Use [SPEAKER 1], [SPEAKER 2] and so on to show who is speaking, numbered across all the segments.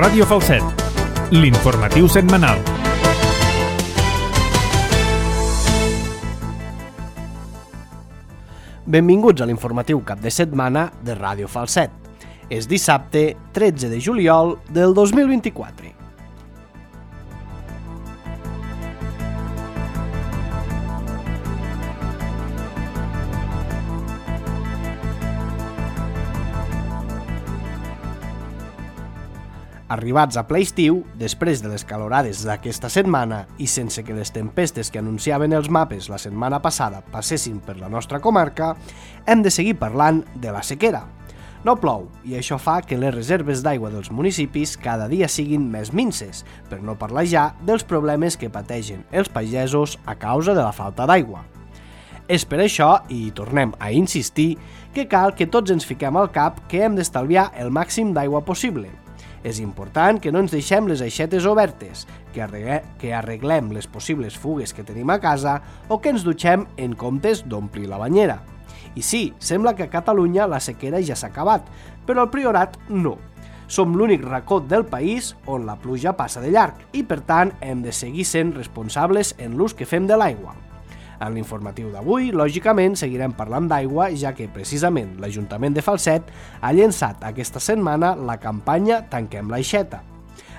[SPEAKER 1] Ràdio Falset, l'informatiu setmanal.
[SPEAKER 2] Benvinguts a l'informatiu cap de setmana de Ràdio Falset. És dissabte 13 de juliol del 2024. Arribats a ple estiu, després de les calorades d'aquesta setmana i sense que les tempestes que anunciaven els mapes la setmana passada passessin per la nostra comarca, hem de seguir parlant de la sequera. No plou i això fa que les reserves d'aigua dels municipis cada dia siguin més minses, per no parlar ja dels problemes que pateixen els pagesos a causa de la falta d'aigua. És per això, i tornem a insistir, que cal que tots ens fiquem al cap que hem d'estalviar el màxim d'aigua possible. És important que no ens deixem les aixetes obertes, que arreglem les possibles fugues que tenim a casa o que ens dutxem en comptes d'omplir la banyera. I sí, sembla que a Catalunya la sequera ja s'ha acabat, però al Priorat no. Som l'únic racó del país on la pluja passa de llarg i, per tant, hem de seguir sent responsables en l'ús que fem de l'aigua. En l'informatiu d'avui, lògicament, seguirem parlant d'aigua, ja que, precisament, l'Ajuntament de Falset ha llançat aquesta setmana la campanya Tanquem l'Aixeta.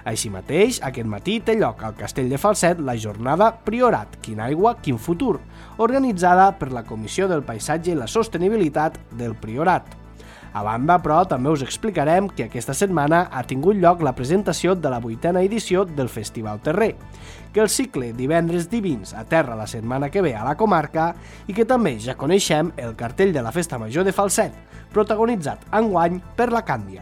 [SPEAKER 2] Així mateix, aquest matí té lloc al Castell de Falset la jornada Priorat, Quina aigua, quin futur, organitzada per la Comissió del Paisatge i la Sostenibilitat del Priorat. A banda, però, també us explicarem que aquesta setmana ha tingut lloc la presentació de la 8a edició del Festival Terrer, que el cicle Divendres Divins aterra la setmana que ve a la comarca i que també ja coneixem el cartell de la Festa Major de Falset, protagonitzat enguany per la Càndia.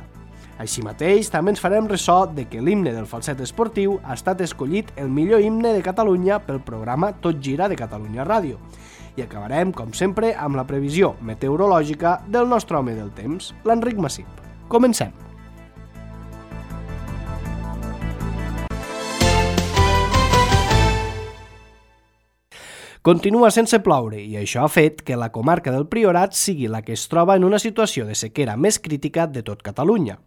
[SPEAKER 2] Així mateix, també ens farem ressò de que l'himne del Falset Esportiu ha estat escollit el millor himne de Catalunya pel programa Tot Gira de Catalunya Ràdio. I acabarem, com sempre, amb la previsió meteorològica del nostre home del temps, l'Enric Massip. Comencem! Continua sense ploure i això ha fet que la comarca del Priorat sigui la que es troba en una situació de sequera més crítica de tot Catalunya.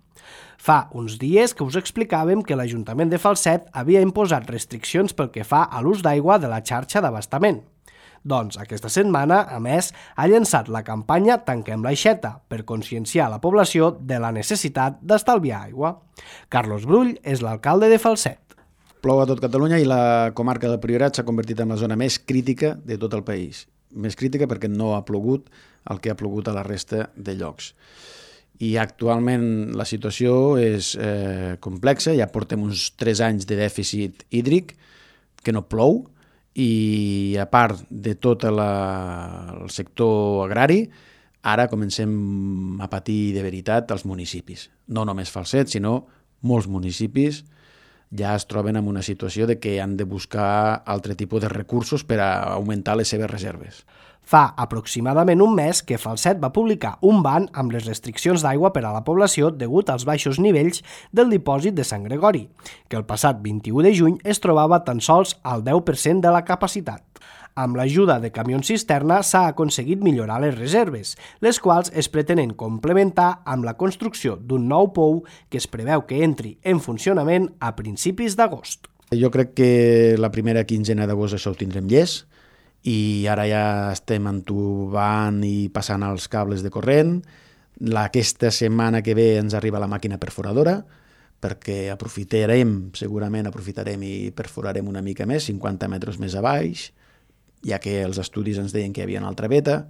[SPEAKER 2] Fa uns dies que us explicàvem que l'Ajuntament de Falset havia imposat restriccions pel que fa a l'ús d'aigua de la xarxa d'abastament. Doncs aquesta setmana, a més, ha llançat la campanya Tanquem l'Aixeta per conscienciar la població de la necessitat d'estalviar aigua. Carlos Brull és l'alcalde de Falset.
[SPEAKER 3] Plou a tot Catalunya i la comarca del Priorat s'ha convertit en la zona més crítica de tot el país. Més crítica perquè no ha plogut el que ha plogut a la resta de llocs. I actualment la situació és complexa, ja portem uns 3 anys de dèficit hídric, que no plou, i a part de tot el sector agrari, ara comencem a patir de veritat els municipis. No només Falset, sinó molts municipis ja es troben en una situació de que han de buscar altre tipus de recursos per a augmentar les seves reserves.
[SPEAKER 2] Fa aproximadament un mes que Falset va publicar un ban amb les restriccions d'aigua per a la població degut als baixos nivells del dipòsit de Sant Gregori, que el passat 21 de juny es trobava tan sols al 10% de la capacitat. Amb l'ajuda de camions cisterna s'ha aconseguit millorar les reserves, les quals es pretenen complementar amb la construcció d'un nou pou que es preveu que entri en funcionament a principis d'agost.
[SPEAKER 3] Jo crec que la primera quinzena d'agost això ho tindrem llest, i ara ja estem entubant i passant els cables de corrent. Aquesta setmana que ve ens arriba la màquina perforadora, perquè segurament aprofitarem i perforarem una mica més, 50 metres més a baix, ja que els estudis ens deien que hi havia una altra veta,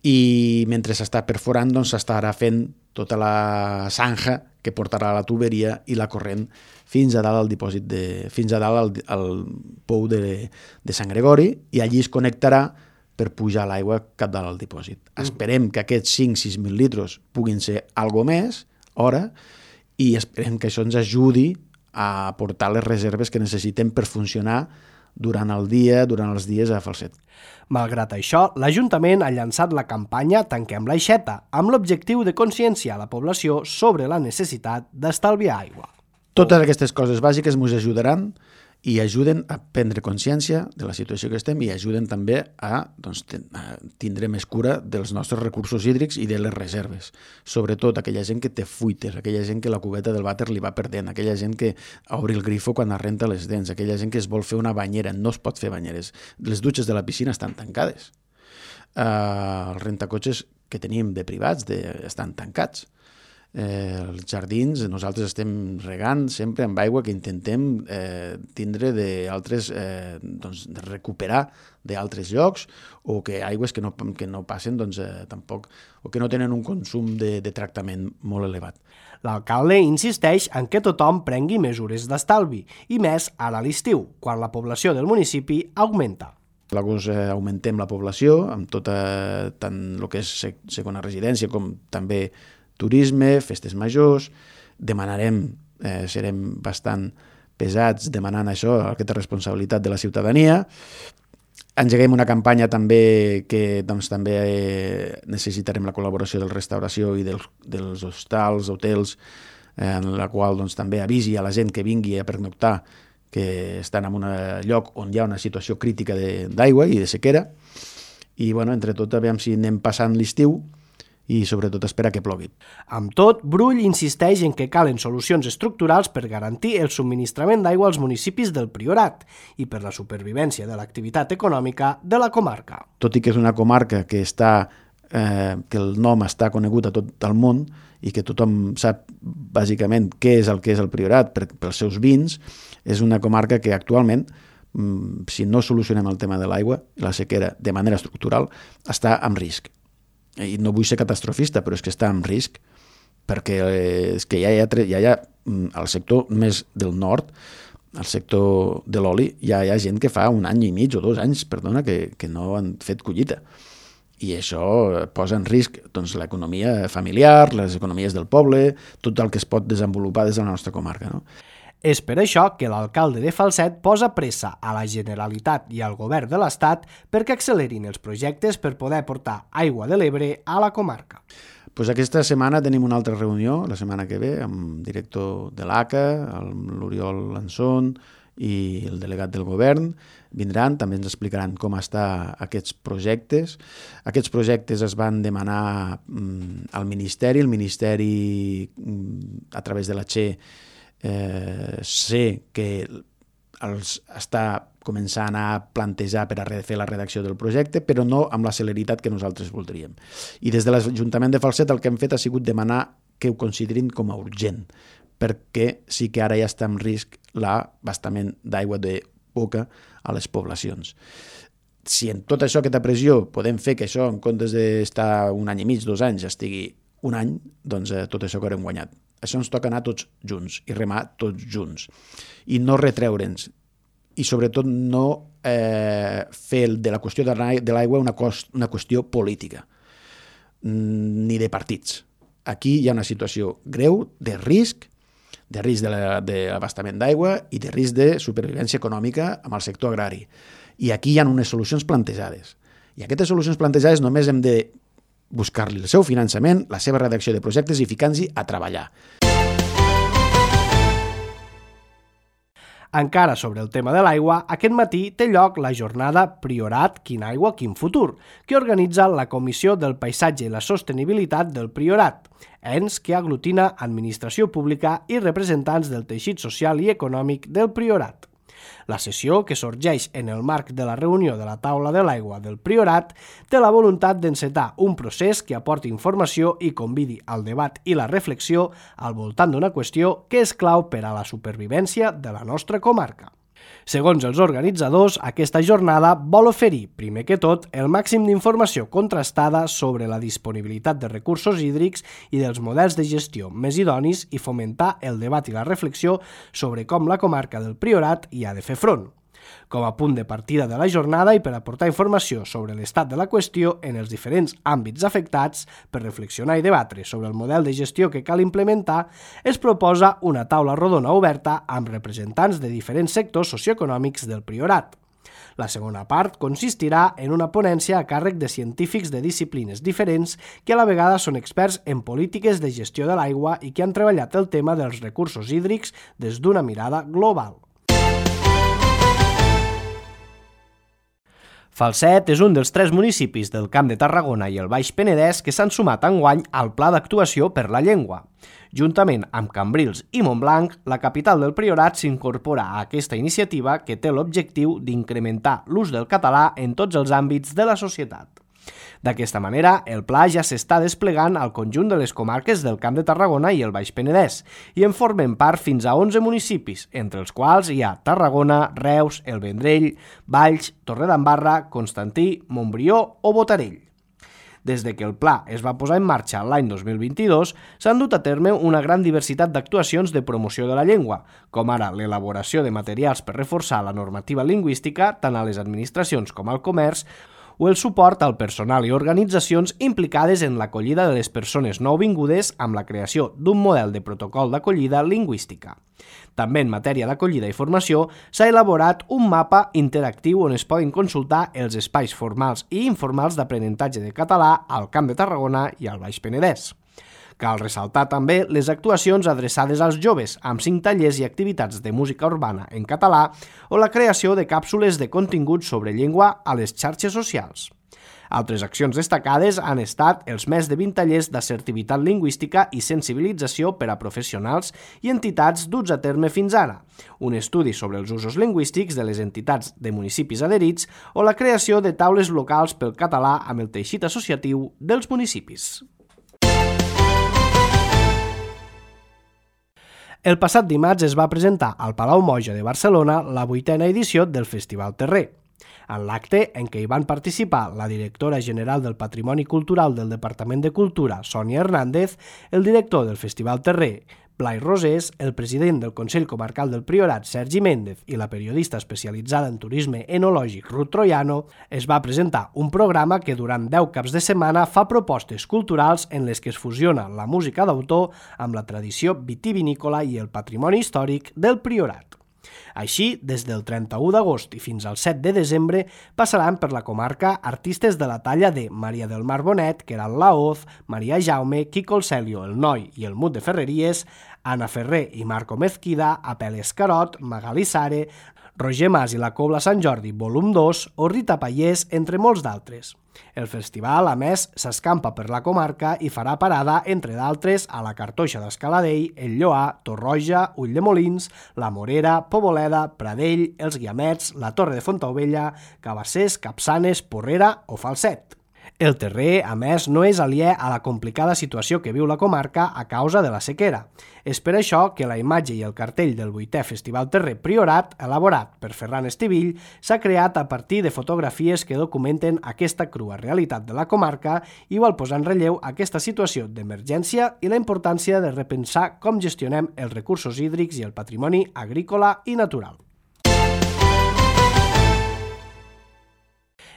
[SPEAKER 3] i mentre s'està perforant doncs s'estarà fent tota la zanja que portarà la tuberia i la corrent fins a dalt al dipòsit fins a dalt al pou de Sant Gregori, i allí es connectarà per pujar l'aigua cap dalt al dipòsit. Esperem que aquests 5-6.000 litres puguin ser algo més hora, i esperem que això ens ajudi a aportar les reserves que necessitem per funcionar durant el dia, durant els dies a Falset.
[SPEAKER 2] Malgrat això, l'Ajuntament ha llançat la campanya Tanquem l'Aixeta, amb l'objectiu de conscienciar la població sobre la necessitat d'estalviar aigua.
[SPEAKER 3] Totes aquestes coses bàsiques ens ajudaran i ajuden a prendre consciència de la situació que estem i ajuden també a tindre més cura dels nostres recursos hídrics i de les reserves. Sobretot aquella gent que té fuites, aquella gent que la cubeta del vàter li va perdent, aquella gent que obre el grifo quan es renta les dents, aquella gent que es vol fer una banyera, no es pot fer banyeres. Les dutxes de la piscina estan tancades. Els rentacotxes que tenim de privats estan tancats. Els jardins, nosaltres estem regant sempre amb aigua que intentem tindre d'altres, de recuperar d'altres llocs, o que aigües que no passen tampoc, o que no tenen un consum de tractament molt elevat.
[SPEAKER 2] L'alcalde insisteix en que tothom prengui mesures d'estalvi, i més ara a l'estiu, quan la població del municipi augmenta.
[SPEAKER 3] A l'agost augmentem la població, amb tant el que és segona residència com també turisme, festes majors, demanarem, serem bastant pesats demanant això, aquesta responsabilitat de la ciutadania. Engeguem una campanya també que també necessitarem la col·laboració de la restauració i dels hostals, hotels, en la qual també avisi a la gent que vingui a pernoctar que estan en un lloc on hi ha una situació crítica d'aigua i de sequera. I, entre tot, aviam si anem passant l'estiu i sobretot espera que plogui.
[SPEAKER 2] Amb tot, Brull insisteix en que calen solucions estructurals per garantir el subministrament d'aigua als municipis del Priorat i per la supervivència de l'activitat econòmica de la comarca.
[SPEAKER 3] Tot i que és una comarca que el nom està conegut a tot el món i que tothom sap bàsicament què és el Priorat pels seus vins, és una comarca que actualment, si no solucionem el tema de l'aigua i la sequera de manera estructural, està en risc. I no vull ser catastrofista, però és que està en risc, perquè és que ja hi ha al sector més del nord, al sector de l'oli, ja hi ha gent que fa 1 any i mig o 2 anys, que no han fet collita. I això posa en risc l'economia familiar, les economies del poble, tot el que es pot desenvolupar des de la nostra comarca, no?
[SPEAKER 2] És per això que l'alcalde de Falset posa pressa a la Generalitat i al govern de l'Estat perquè accelerin els projectes per poder portar aigua de l'Ebre a la comarca.
[SPEAKER 3] Aquesta setmana tenim una altra reunió, la setmana que ve, amb el director de l'ACA, l'Oriol Lanzón i el delegat del govern. Vindran, també ens explicaran com estan aquests projectes. Aquests projectes es van demanar al Ministeri. El Ministeri, a través de la Che, sé que els està començant a plantejar per a fer la redacció del projecte, però no amb la celeritat que nosaltres voldríem. I des de l'Ajuntament de Falset el que hem fet ha sigut demanar que ho considerin com a urgent, perquè sí que ara ja està en risc l'abastament d'aigua de boca a les poblacions. Si en tot això, aquesta pressió, podem fer que això, en comptes d'estar 1 any i mig, 2 anys, estigui 1 any, doncs tot això que haurem guanyat. Això ens toca anar tots junts i remar tots junts. I no retreure'ns. I sobretot no fer de la qüestió de l'aigua una qüestió política, ni de partits. Aquí hi ha una situació greu de risc de l'abastament d'aigua i de risc de supervivència econòmica amb el sector agrari. I aquí hi ha unes solucions plantejades. I aquestes solucions plantejades només hem de buscar-li el seu finançament, la seva redacció de projectes i ficar-nos a treballar.
[SPEAKER 2] Encara sobre el tema de l'aigua, aquest matí té lloc la jornada Priorat, quin aigua, quin futur, que organitza la Comissió del Paisatge i la Sostenibilitat del Priorat, ens que aglutina administració pública i representants del teixit social i econòmic del Priorat. La sessió, que sorgeix en el marc de la reunió de la taula de l'aigua del Priorat, té la voluntat d'encetar un procés que aporti informació i convidi al debat i la reflexió al voltant d'una qüestió que és clau per a la supervivència de la nostra comarca. Segons els organitzadors, aquesta jornada vol oferir, primer que tot, el màxim d'informació contrastada sobre la disponibilitat de recursos hídrics i dels models de gestió més idonis i fomentar el debat i la reflexió sobre com la comarca del Priorat hi ha de fer front. Com a punt de partida de la jornada i per aportar informació sobre l'estat de la qüestió en els diferents àmbits afectats, per reflexionar i debatre sobre el model de gestió que cal implementar, es proposa una taula rodona oberta amb representants de diferents sectors socioeconòmics del Priorat. La segona part consistirà en una ponència a càrrec de científics de disciplines diferents que a la vegada són experts en polítiques de gestió de l'aigua i que han treballat el tema dels recursos hídrics des d'una mirada global. Falset és un dels 3 municipis del Camp de Tarragona i el Baix Penedès que s'han sumat enguany al Pla d'Actuació per la Llengua. Juntament amb Cambrils i Montblanc, la capital del Priorat s'incorpora a aquesta iniciativa que té l'objectiu d'incrementar l'ús del català en tots els àmbits de la societat. D'aquesta manera, el pla ja s'està desplegant al conjunt de les comarques del Camp de Tarragona i el Baix Penedès i en formen part fins a 11 municipis, entre els quals hi ha Tarragona, Reus, el Vendrell, Valls, Torredembarra, Constantí, Montbrió o Botarell. Des de que el pla es va posar en marxa l'any 2022, s'han dut a terme una gran diversitat d'actuacions de promoció de la llengua, com ara l'elaboració de materials per reforçar la normativa lingüística tant a les administracions com al comerç, o el suport al personal i organitzacions implicades en l'acollida de les persones nouvingudes amb la creació d'un model de protocol d'acollida lingüística. També en matèria d'acollida i formació s'ha elaborat un mapa interactiu on es poden consultar els espais formals i informals d'aprenentatge de català al Camp de Tarragona i al Baix Penedès. Cal ressaltar també les actuacions adreçades als joves, amb 5 tallers i activitats de música urbana en català o la creació de càpsules de contingut sobre llengua a les xarxes socials. Altres accions destacades han estat els més de 20 tallers d'assertivitat lingüística i sensibilització per a professionals i entitats duts a terme fins ara, un estudi sobre els usos lingüístics de les entitats de municipis adherits o la creació de taules locals pel català amb el teixit associatiu dels municipis. El passat dimarts es va presentar al Palau Moja de Barcelona la 8a edició del Festival Terrer. En l'acte, en què hi van participar la directora general del Patrimoni Cultural del Departament de Cultura, Sònia Hernández, el director del Festival Terrer, Blai Rosés, el president del Consell Comarcal del Priorat, Sergi Méndez, i la periodista especialitzada en turisme enològic, Ruth Troiano, es va presentar un programa que durant 10 caps de setmana fa propostes culturals en les que es fusiona la música d'autor amb la tradició vitivinícola i el patrimoni històric del Priorat. Així, des del 31 d'agost i fins al 7 de desembre passaran per la comarca artistes de la talla de Maria del Mar Bonet, Queralt Laoz, Maria Jaume, Quico el Celio, el Noi i el Mut de Ferreries, Anna Ferrer i Marco Mezquida, Apel Escarot, Magali Sare, Roger Mas i la Cobla Sant Jordi, volum 2, o Rita Pallés, entre molts d'altres. El festival, a més, s'escampa per la comarca i farà parada, entre d'altres, a la Cartoixa d'Escaladell, el Lloar, Torroja, Ulldemolins, la Morera, Poboleda, Pradell, els Guiamets, la Torre de Fontaubella, Cabassers, Capçanes, Porrera o Falset. El Terrer, a més, no és aliè a la complicada situació que viu la comarca a causa de la sequera. És per això que la imatge i el cartell del 8è Festival Terrer Priorat, elaborat per Ferran Estivill, s'ha creat a partir de fotografies que documenten aquesta crua realitat de la comarca i vol posar en relleu aquesta situació d'emergència i la importància de repensar com gestionem els recursos hídrics i el patrimoni agrícola i natural.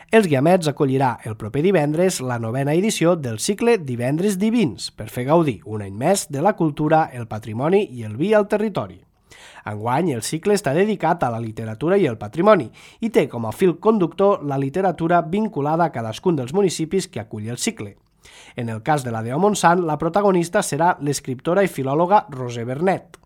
[SPEAKER 2] Els Guiamets acollirà el proper divendres la 9a edició del cicle Divendres Divins per fer gaudir un any més de la cultura, el patrimoni i el vi al territori. Enguany, el cicle està dedicat a la literatura i el patrimoni i té com a fil conductor la literatura vinculada a cadascun dels municipis que acull el cicle. En el cas de la Deo Montsant, la protagonista serà l'escriptora i filòloga Roser Bernet.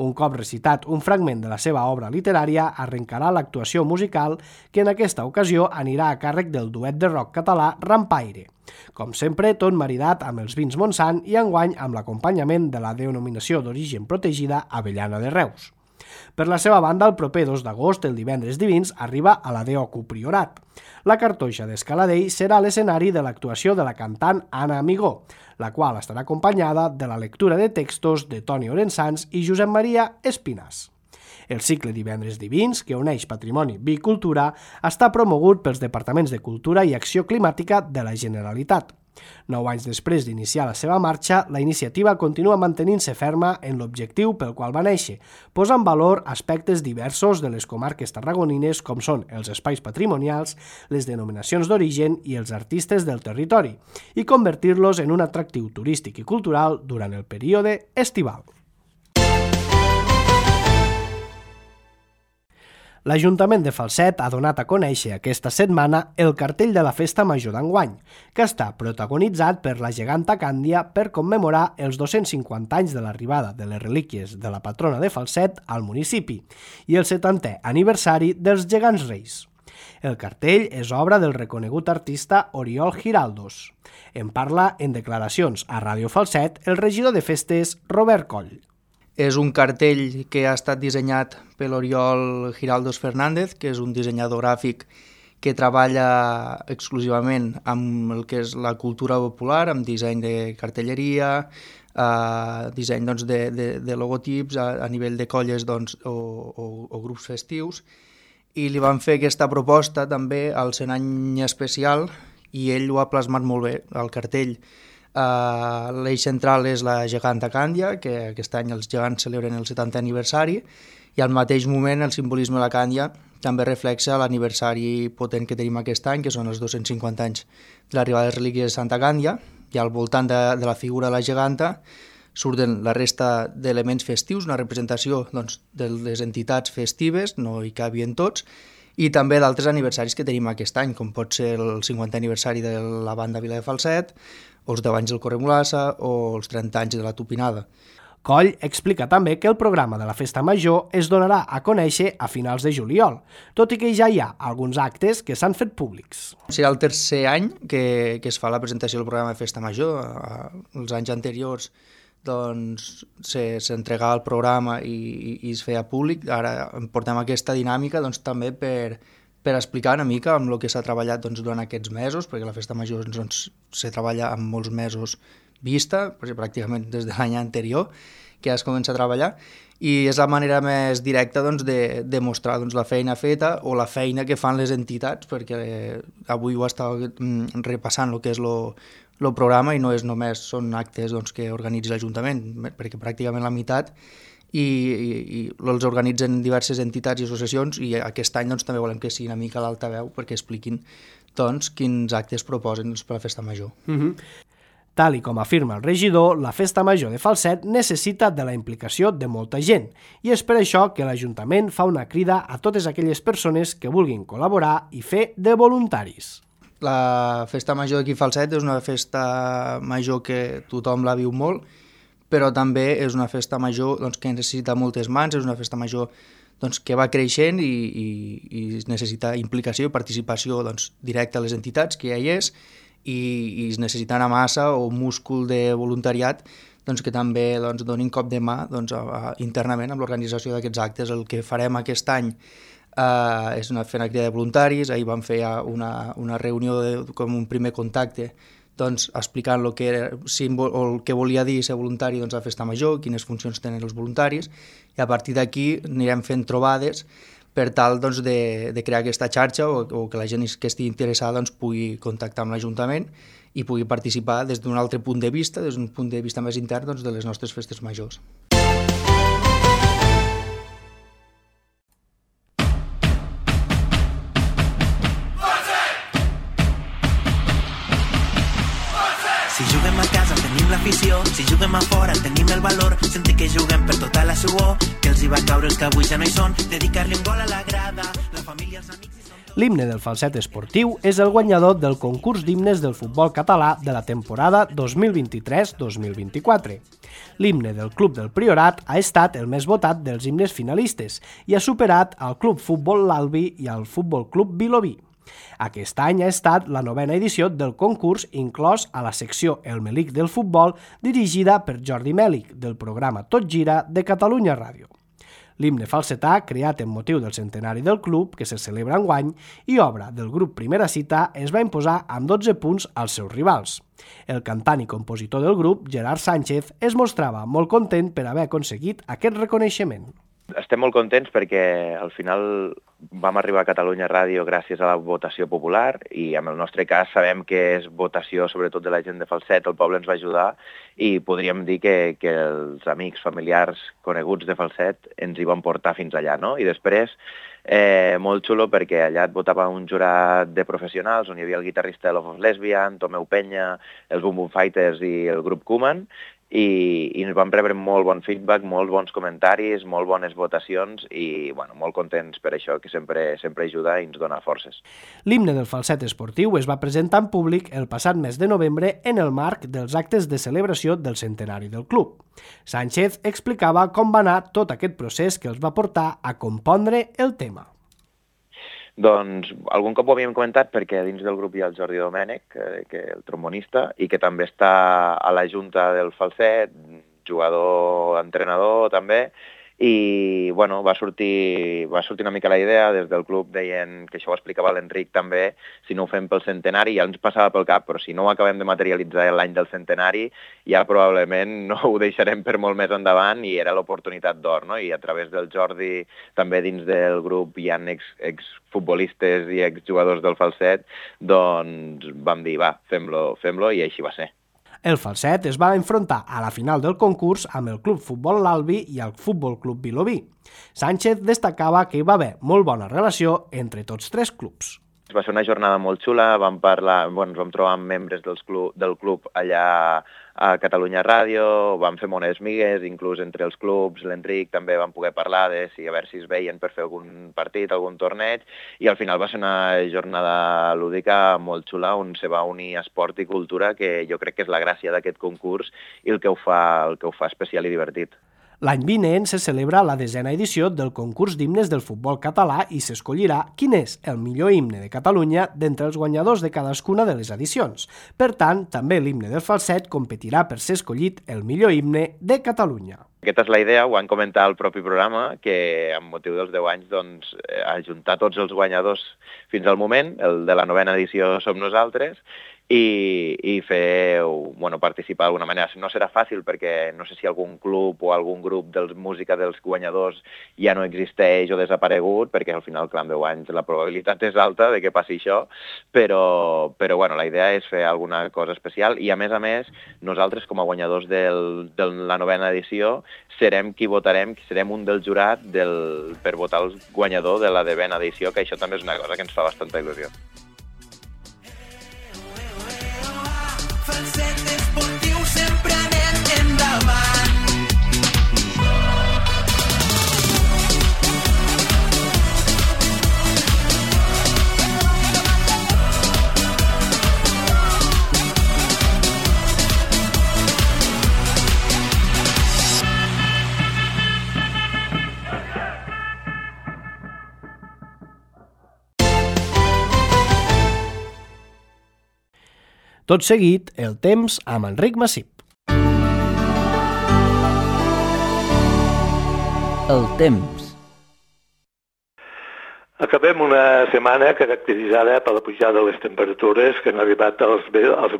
[SPEAKER 2] Un cop recitat un fragment de la seva obra literària, arrencarà l'actuació musical que en aquesta ocasió anirà a càrrec del duet de rock català Rampaire. Com sempre, tot maridat amb els vins Montsant i enguany amb l'acompanyament de la denominació d'origen protegida Avellana de Reus. Per la seva banda, el proper 2 d'agost, el Divendres Divins, arriba a la Deocu Priorat. La Cartoixa d'Escaladell serà l'escenari de l'actuació de la cantant Anna Amigó, la qual estarà acompanyada de la lectura de textos de Toni Orensans i Josep Maria Espinàs. El cicle Divendres Divins, que uneix patrimoni, vi i cultura, està promogut pels Departaments de Cultura i Acció Climàtica de la Generalitat. 9 anys després d'iniciar la seva marxa, la iniciativa continua mantenint-se ferma en l'objectiu pel qual va néixer, posant en valor aspectes diversos de les comarques tarragonines com són els espais patrimonials, les denominacions d'origen i els artistes del territori, i convertir-los en un atractiu turístic i cultural durant el període estival. L'Ajuntament de Falset ha donat a conèixer aquesta setmana el cartell de la Festa Major d'enguany, que està protagonitzat per la geganta Càndia per commemorar els 250 anys de l'arribada de les relíquies de la patrona de Falset al municipi i el 70è aniversari dels Gegants Reis. El cartell és obra del reconegut artista Oriol Giraldos. En parla en declaracions a Ràdio Falset el regidor de festes Robert Coll.
[SPEAKER 4] És un cartell que ha estat dissenyat per l'Oriol Giraldos Fernández, que és un dissenyador gràfic que treballa exclusivament amb el que és la cultura popular, amb disseny de cartelleria, disseny de logotips a nivell de colles o grups festius, i li van fer aquesta proposta també al 100 any especial i ell ho ha plasmat molt bé al cartell. L'eix central és la geganta Càndia, que aquest any els gegants celebren el 70è aniversari, i al mateix moment el simbolisme de la Càndia també reflexa l'aniversari potent que tenim aquest any, que són els 250 anys de l'arribada de les relíquies de Santa Càndia, i al voltant de la figura de la geganta surten la resta d'elements festius, una representació de les entitats festives, no hi cabien tots, i també d'altres aniversaris que tenim aquest any, com pot ser el 50è aniversari de la banda Vila de Falset, o els 10 anys del Corremolassa o els 30 anys de la Tupinada.
[SPEAKER 2] Coll explica també que el programa de la Festa Major es donarà a conèixer a finals de juliol, tot i que ja hi ha alguns actes que s'han fet públics.
[SPEAKER 4] Serà el tercer any que es fa la presentació del programa de Festa Major. Els anys anteriors s'entregava el programa i es feia públic. Ara portem aquesta dinàmica també per explicar una mica amb el que s'ha treballat durant aquests mesos, perquè la Festa Major se treballa amb molts mesos vista, pràcticament des de l'any anterior, que ja es comença a treballar, i és la manera més directa de mostrar la feina feta o la feina que fan les entitats, perquè avui ho estava repassant el que és el programa i no és només són actes que organitza l'Ajuntament, perquè pràcticament la meitat i els organitzen diverses entitats i associacions, i aquest any també volem que sigui una mica l'altaveu perquè expliquin quins actes proposen per a la Festa Major.
[SPEAKER 2] Tal i com afirma el regidor, la Festa Major de Falset necessita de la implicació de molta gent, i és per això que l'Ajuntament fa una crida a totes aquelles persones que vulguin col·laborar i fer de voluntaris.
[SPEAKER 4] La Festa Major d'aquí a Falset és una festa major que tothom la viu molt, però també és una festa major que necessita moltes mans, és una festa major que va creixent i necessita implicació i participació directa a les entitats, que ja hi és, i es necessita una massa o múscul de voluntariat que també donin cop de mà internament amb l'organització d'aquests actes. El que farem aquest any és fer una crida de voluntaris. Ahir vam fer una reunió com un primer contacte explicant el que volia dir ser voluntari a la Festa Major, quines funcions tenen els voluntaris, i a partir d'aquí anirem fent trobades per tal de crear aquesta xarxa o que la gent que estigui interessada pugui contactar amb l'Ajuntament i pugui participar des d'un altre punt de vista, des d'un punt de vista més intern de les nostres festes majors.
[SPEAKER 5] Si juguem a casa tenim l'afició, si juguem a fora tenim el valor, sentir que juguem per tota la suor, que els hi va caure els que avui ja no hi són, dedicar-li un gol a la grada, la família, els amics hi són...
[SPEAKER 2] L'himne del Falset Esportiu és el guanyador del concurs d'himnes del futbol català de la temporada 2023-2024. L'himne del Club del Priorat ha estat el més votat dels himnes finalistes i ha superat al Club Futbol L'Albi i al Futbol Club Vilobí. Aquest any ha estat la 9ª edició del concurs, inclòs a la secció El Melic del futbol, dirigida per Jordi Mèlic, del programa Tot Gira de Catalunya Ràdio. L'himne falsetà, creat en motiu del centenari del club, que se celebra enguany, i obra del grup Primera Cita, es va imposar amb 12 punts als seus rivals. El cantant i compositor del grup, Gerard Sánchez, es mostrava molt content per haver aconseguit aquest reconeixement.
[SPEAKER 6] Estem molt contents perquè al final vam arribar a Catalunya Ràdio gràcies a la votació popular i en el nostre cas sabem que és votació sobretot de la gent de Falset, el poble ens va ajudar i podríem dir que els amics, familiars, coneguts de Falset ens hi van portar fins allà, no? I després, molt xulo perquè allà et votava un jurat de professionals on hi havia el guitarrista de Love of Lesbian, Tomeu Penya, els Boom Boom Fighters i el grup Koeman, i ens vam rebre molt bon feedback, molts bons comentaris, molt bones votacions i molt contents per això, que sempre ajuda i ens dona forces.
[SPEAKER 2] L'himne del Falset Esportiu es va presentar en públic el passat mes de novembre en el marc dels actes de celebració del centenari del club. Sánchez explicava com va anar tot aquest procés que els va portar a compondre el tema.
[SPEAKER 6] Doncs algun cop ho havíem comentat perquè dins del grup hi ha el Jordi Domènech, el trombonista, i que també està a la junta del Falset, jugador, entrenador també, i bueno, va sortir una mica la idea, des del club deien que això ho explicava l'Enric també, si no ho fem pel centenari, ja ens passava pel cap, però si no ho acabem de materialitzar l'any del centenari, ja probablement no ho deixarem per molt més endavant i era l'oportunitat d'or, no? I a través del Jordi, també dins del grup hi ha exfutbolistes i exjugadors del Falset, doncs vam dir, va, fem-lo i així va ser.
[SPEAKER 2] El Falset es va enfrontar a la final del concurs amb el Club Futbol L'Albi i el Futbol Club Vilobí. Sánchez destacava que hi va haver molt bona relació entre tots tres clubs.
[SPEAKER 6] Va ser una jornada molt xula, vam trobar amb membres del club allà a Catalunya Ràdio, vam fer mones migues, inclús entre els clubs, l'Enric també vam poder parlar de a veure si es veien per fer algun partit, algun torneig, i al final va ser una jornada lúdica molt xula on se va unir esport i cultura, que jo crec que és la gràcia d'aquest concurs i el que ho fa especial i divertit.
[SPEAKER 2] L'any vinent se celebra la 10a edició del concurs d'himnes del futbol català i s'escollirà quin és el millor himne de Catalunya d'entre els guanyadors de cadascuna de les edicions. Per tant, també l'himne del Falset competirà per ser escollit el millor himne de Catalunya.
[SPEAKER 6] Aquesta és la idea, ho van comentar al propi programa, que amb motiu dels 10 anys doncs, ajuntar tots els guanyadors fins al moment, el de la 9a edició som nosaltres, i fer, participar d'alguna manera. No serà fàcil perquè no sé si algun club o algun grup de música dels guanyadors ja no existeix o desaparegut, perquè al final, clar, amb 10 anys la probabilitat és alta de que passi això, però la idea és fer alguna cosa especial i, a més, nosaltres com a guanyadors de la 9a edició serem qui votarem, serem un del jurat per votar el guanyador de la 10a edició, que això també és una cosa que ens fa bastanta il·lusió.
[SPEAKER 2] Tot seguit, el temps amb Enric Massip.
[SPEAKER 7] El temps.
[SPEAKER 8] Acabem una setmana caracteritzada per la pujada de les temperatures que han arribat als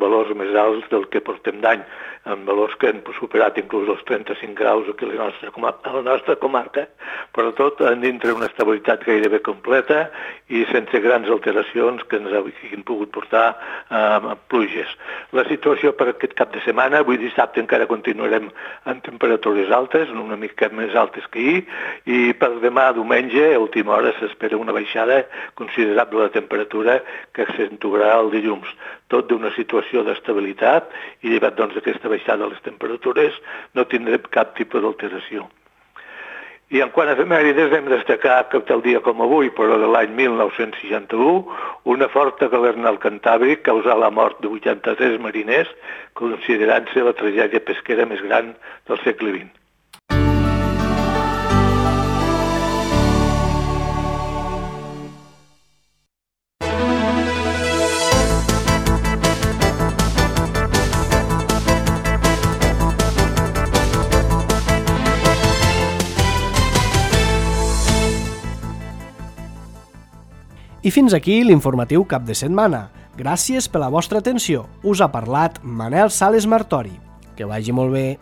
[SPEAKER 8] valors més alts del que portem d'any, amb valors que han superat inclús els 35 graus aquí a la nostra comarca, però tot dintre una estabilitat gairebé completa i sense grans alteracions que ens hagin pogut portar a pluges. La situació per aquest cap de setmana, avui dissabte encara continuarem amb temperatures altes, una mica més altes que ahir, i per demà diumenge, a última hora, s'espera una baixada considerable de temperatura que accentuarà el dilluns. Tot d'una situació d'estabilitat i llevat d'aquesta baixada de les temperatures no tindrem cap tipus d'alteració. I en quant a efemèrides hem destacat que tal dia com avui, però de l'any 1961, una forta galernal cantàbric causà la mort de 83 mariners, considerant-se la tragèdia pesquera més gran del segle XX.
[SPEAKER 2] I fins aquí l'informatiu cap de setmana. Gràcies per la vostra atenció. Us ha parlat Manel Sales Martori. Que vagi molt bé.